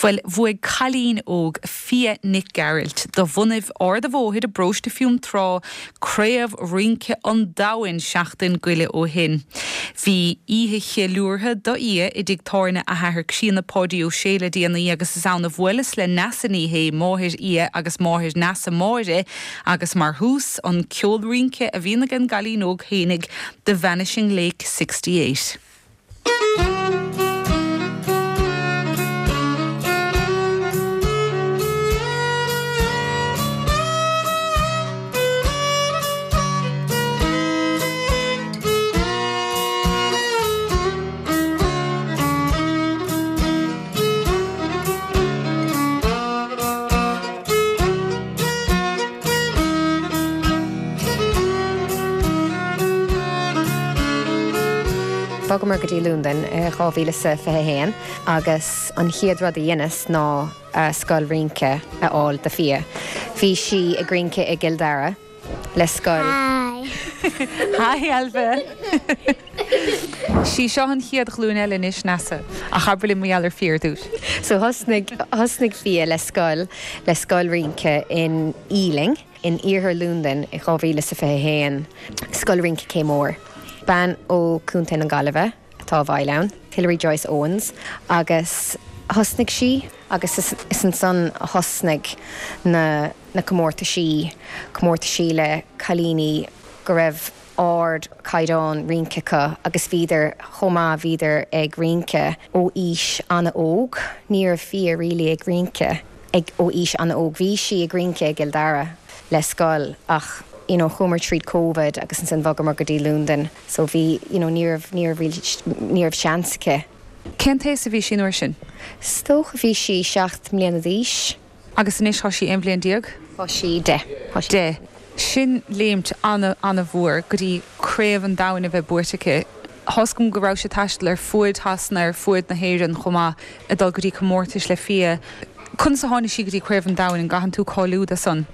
Bhuel, bhuaigh cailín óg, Fia Nic Gearailt, de bhunaibh Ard a' Bhóthair i bparóiste Fionntrá, Craobh Rince an Domhain seachtain goile ó shin. Bhí oíche cheiliúrtha do Fhia i dtigh tábhairne a hathar críonna Páidí Ó Sé le déanaí agus is ann a bhuaileas le Neasa Ní Shé, máthair Fhia agus máthair Neasa Máire agus mar thús, an ceol rince a bhíonn ag an gcailín óg fhéinig, The Vanishing Lake 68. Bhogamar go dtí Londain i 2021 agus an chéad rud a dheineas ná scoil rince a fháil do Fia. Bhí sí ag rince i gCill Dara le scoil. Hi! Hi Ailbhe! Sí seo an chéad ghlúin eile anois, Neasa. Ach abair linn mar gheall ar Fia ar dtús. So thosnaigh, thosnaigh Fia le scoil, le scoil rince in Ealing, in iarthar Londain i 2021, Scoil Rince Cé Mór. Bean ó Contae na Gaillimhe atá i bhfeighil ann, Hilary Joyce Owens, agus thosnaigh sí agus is, is ansan a thosnaigh na, na comórtaisí, comórtaisí le cailíní go raibh ard chaighdeán rince acu agus bhíodar chomh maith, bhíodar ag rince ó aois an-óg, ní raibh Fia really ag rince ag ó aois an-óg, bhí sí ag rince i gCill Dara le scoil ach you know chuamar tríd Covid agus ansin bhogamar go dtí Londain so bhí you know ní raibh, ní raibh really, ní raibh seans aici. Cén t-aos a bhí sí an uair sin? Is dócha bhí sí 7 mbliana d'aois. Agus anois tá sí 11 bhliain? Tá sí 10. Tá sí 10. Sin léimt an-an-mhór go dtí Craobh an Domhain a bheith buaite aici. Tá's agam go raibh sí ag taisteal ar fuaid Shasana, ar fuaid na hÉireann chomh maith, ag dul go dtí comórtais le Fia. Conas a tháinig sí go dtí Craobh an Domhain? An gcaitheann tú cáiliú do san?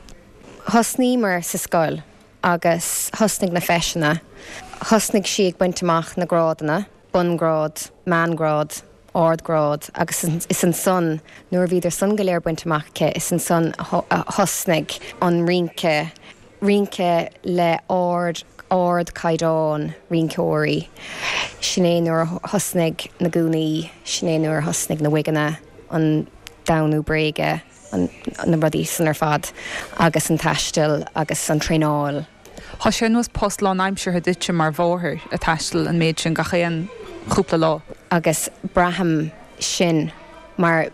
Thosnaíomar sa scoil agus thosnaigh na feiseanna. Thosnaigh sí ag baint amach na grádanna. bunghrád, meánghrád, ardghrád agus is ansan, nuair a bhíodar san go léir bainte amach aici, is ansan a thosnaigh an rince, rince le ard, ardchaighdeán rinceoirí. Sin é nuair a thosnaigh na gúnaí, sin é nuair a thosnaigh na wigeanna, an damnú bréige, an, na rudaí san ar fad agus an taisteal agus an traenáil. Tá sé ar nós post lánaimseartha duitse mar mháthair, ag taisteal an méid sin gach aon chúpla lá. Agus braithim sin mar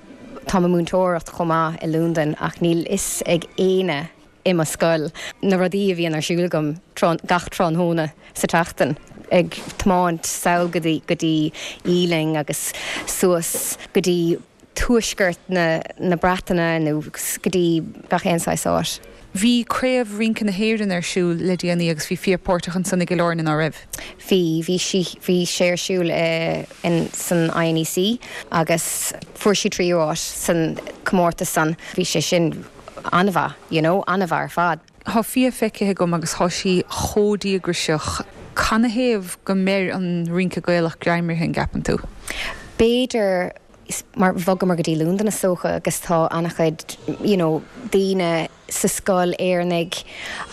táim ag múinteoireacht chomh maith i Londain ach níl fhios ag éinne i mo scoil na rudaí a bhíonn ar siúl agam gach tráthnóna sa tseachtain, ag tiomáint sall go dtí go dtí Ealing agus suas go dtí tuaisceart na Breataine nó go dtí gach aon saghas áit. Bhí Craobh Rince na hÉireann ar siúl le déanaí agus bhí Fia páirteach ansan i gCill Airne, ná raibh? Bhí, bhí sí, bhí sé ar siúl i, in, san INEC agus fuair sí tríú áit san comórtas san. Bhí sé sin an-mhaith, you know, an-mhaith ar fad. Tá Fia feicthe agam agus tá sí chomh díograiseach. Canathaobh go mbeir an rince Gaelach greim uirthi, an gceapann tú? B'fhéidir mar bhogamar go dtí Londain is dócha agus tá an-chuid you know daoine sa scoil Éireannaigh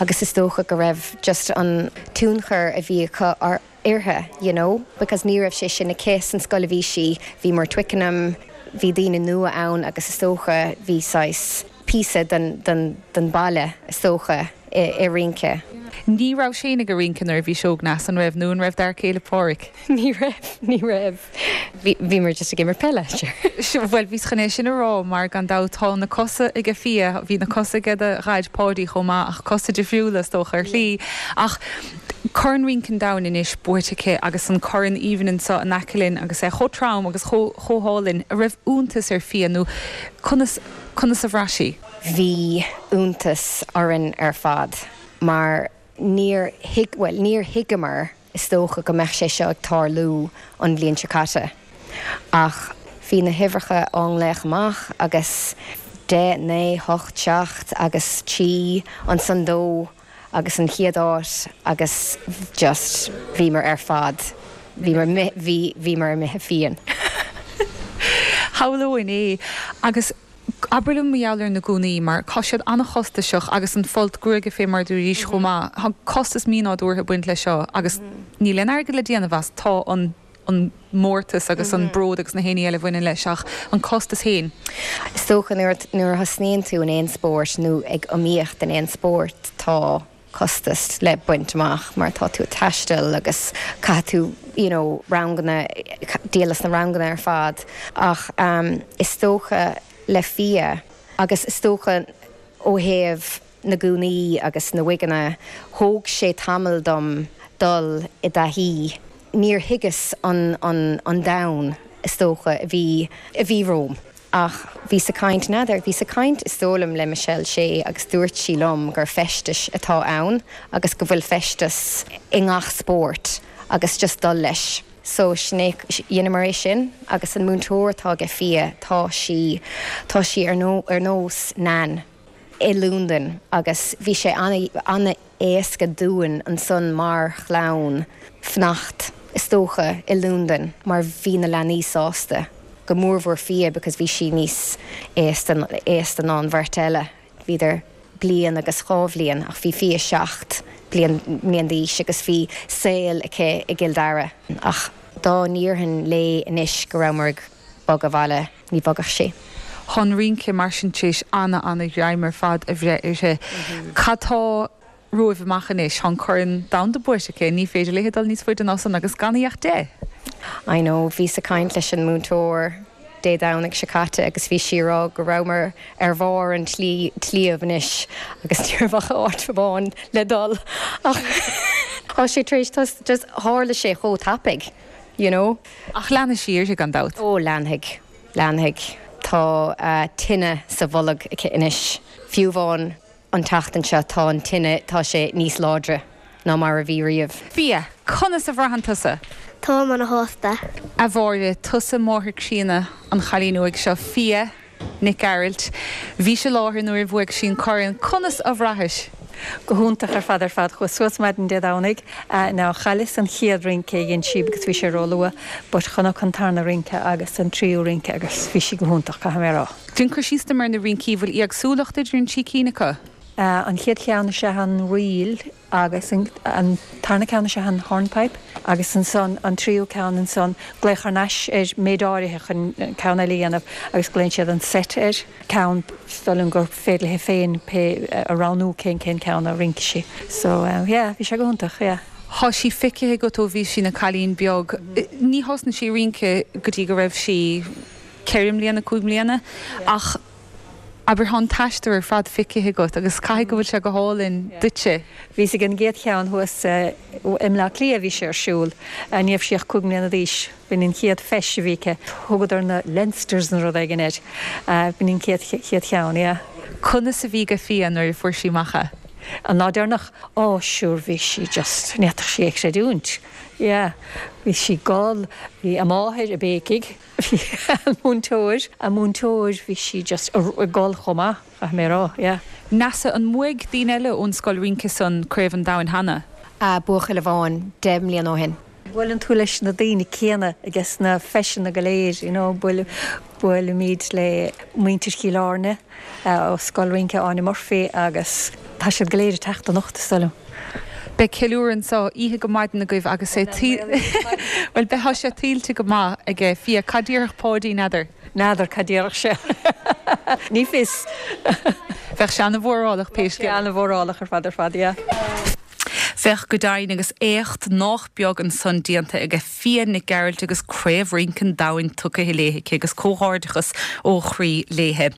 agus is dócha go raibh just an tionchar a bhí acu uirthi you know because ní raibh sé sin aici san scoil a bhí sí, bhíomar Twickenham, bhí daoine nua ann agus is dócha bhí saghas píosa den den den baile is dócha i i rince. Ní raibh Shane ag rince nuair a bhís óg, Neasa, an raibh, nó an raibh d'fhear céile Páraic? Ní raibh, ní raibh. Bhí, bhíomar just ag imirt peile, sure. Bhuel, bhíos chun é sin a rá mar gan dabht tá na cosa aige Fia, bhí na cosa aige do Dhaid Páidí chomh maith ach cosa difriúla is dócha ar shlí. Ach Corn Rince an Domhain anois buaite aici agus an corn aoibhinn anseo in aice linn agus é chomh trom agus chomh, chomh hálainn. An raibh iontas ar Fia nó conas, conas a bhraith sí? Bhí iontas orainn ar fad mar níor thuig, bhuel níor thuigeamar Is dócha go mbeadh sé seo ag tarlú an bhliain seo caite ach bhí na huimhreacha á nglaoch amach agus 10, 9, 8, 7 agus 3, ansan 2 agus an chéad áit agus just bhíomar ar fad, bhíomar, bhí, bhíomar imithe fiáin. Shamhlóinn é. Agus abair liom mar gheall ar na gúnaí, mar tá siad an-chostasach agus an folt gruaige fé mar a dúraís chomh maith. Tá costas mínádúrtha ag baint leis seo agus níl aon airgead le déanamh as. Tá an an mórtas agus an bród agus na héinní eile a bhaineann leis ach an costas féin. Is dócha nuair nuair a thosnaíonn tú in aon spórt nó ag iomaíocht in aon spórt tá costas le baint amach mar tá tú ag taisteal agus caithfidh tú you know ranganna, díol as na ranganna ar fad ach is dócha le Fia agus is dócha ó thaobh na gúnaí agus na wigeanna thóg sé tamall dom dul i dtaithí, níor thuigeas an an an domhan is dócha a bhí a bhí romham. Ach bhíos ag caint, n'fheadar, bhíos ag caint is dóigh liom le Michelle Shea agus dúirt sí liom gur feistis atá ann agus go bhfuil feisteas i ngach spórt agus just dul leis. So sin é, dheineamar é sin agus an múinteoir atá aige Fia, tá sí, tá sí ar ar nós Nan i Londain agus bhí sé an-éasca dúinn ansan mar chlann fanacht is dócha i Londain mar bhí na leanaí sásta, go mórmhór Fia because bhí sí níos aosta aosta ná an bheirt eile, bhíodar bliain agus dhá bhliain ach bhí Fia 7 bliain mbliain d'aois agus bhí saol aici i gCill Dara ach dá ndéarfainn léi anois go rabhamar ag bogadh abhaile ní bhogfadh sí. Tá an rince mar sin tar éis ana-ana-ghreim ar fad a bhreith uirthi. Cad tá romhaibh amach anois? Tá an Corn Domhanda buaite aici, ní féidir léi dul níos faide ná san agus gan í ach 10! I know, bhíos ag caint leis an múinteoir Dé Domhnaigh seo caite agus bhí sí ag rá go rabhamar ar bharr an tsléibh anois agus ní raibh ach áit amháin le dul ach tá sé tar éis just tharla sé chomh tapaidh you know. Ach leanfaidh sí uirthi gan dabht. Ó leanfaidh, leanfaidh. Tá tine sa bholg aici anois. Fiú amháin an tseachtain seo tá an tine, tá sé níos láidre ná mar a bhí riamh. Fia, conas a bhraitheann tusa? Táim ana-shásta. A Mháire, tusa máthair críonna an chailín óig seo, Fia. Nic Gearailt. Bhís i láthair nuair a bhuaigh sí an corn. Conas a bhraithis? Go hiontach ar fad ar fad. Chuas suas maidin Dé Domhnaigh. Now chailleas an chéad rince a dhein sí because bhí sé ró-luath but chonac an tarna rince agus an tríú rince agus bhí sí go hiontach, caithfidh mé a rá. Déan cur síos dom ar na rincí. Bhfuil éagsúlacht idir an trí cinn acu? An chéad cheann is ea an ríl agus an tarna ceann is ea an hornpipe agus ansan an tríú ceann ansan glaoch thar n-ais ar méid áirithe chun ceann eile a dhéanamh agus glaonn siad an set air, ceann is dóigh liom gur féidir léi féin pé a roghnú cén cén ceann a rince sí. So yeah bhí sé go hiontach yeah. Tá sí feicthe agat ó bhí sí ina cailín beag. Ní thosnaigh sí ag rince go dtí go raibh sí ceithre mbliana, cúig mbliana ach Abair, tá an t-aistear ar fad feicthe agat agus caithfidh go bhfuil sé go hálainn duitse. Bhíos ag an gcéad cheann thuas i mBleá Cliath a bhí sé ar siúl. Ní raibh sí ach 5 mbliana d'aois. B'in an chéad feis a bhí aici. Thugadar na Leinsters nó rud éigin air. B'in an chéad chéad cheann, yeah. Conas a bhí go Fia nuair a fuair sí amach é? An lá deireanach? Ó, sure, bhí sí just, ní fhéadfadh sí é a chreidiúint. Yeah. Bhí sí ag gol, bhí a máthair ag béicigh. Bhí an múinteoir, an múinteoir, bhí sí just ag gol chomh maith, caithfidh mé a rá, yeah. Neasa, an mbuaigh daoine eile ón scoil rince san Craobh an Domhain cheana? Buachaill amháin, 10 mbliana ó shin. Buaileann tú leis na daoine céanna ages na feiseanna go léir, you know, buailimid le muintir Chill Airne ó Scoil Rince Áine Murphy agus tá siad go léir ag teacht anocht, is dóigh liom. Beidh ceiliúradh anseo oíche go maidin agaibh agus é bhuel beidh tá sé tuillte go maith aige Fia. Cad déarfadh Páidí, n'fheadar? N'fheadar cad déarfadh sé. Ní fios. Bheadh sé ana-mhórálach pé scéal. Bheadh sé ana-mhórálach ar fad ar fad, yeah. Bheadh go deimhin agus éacht nách beag ansan déanta aige Fia Nic Gearailt agus Craobh Rince an Domhain tugtha léi aici agus comhghairdeachas ó chroí léi.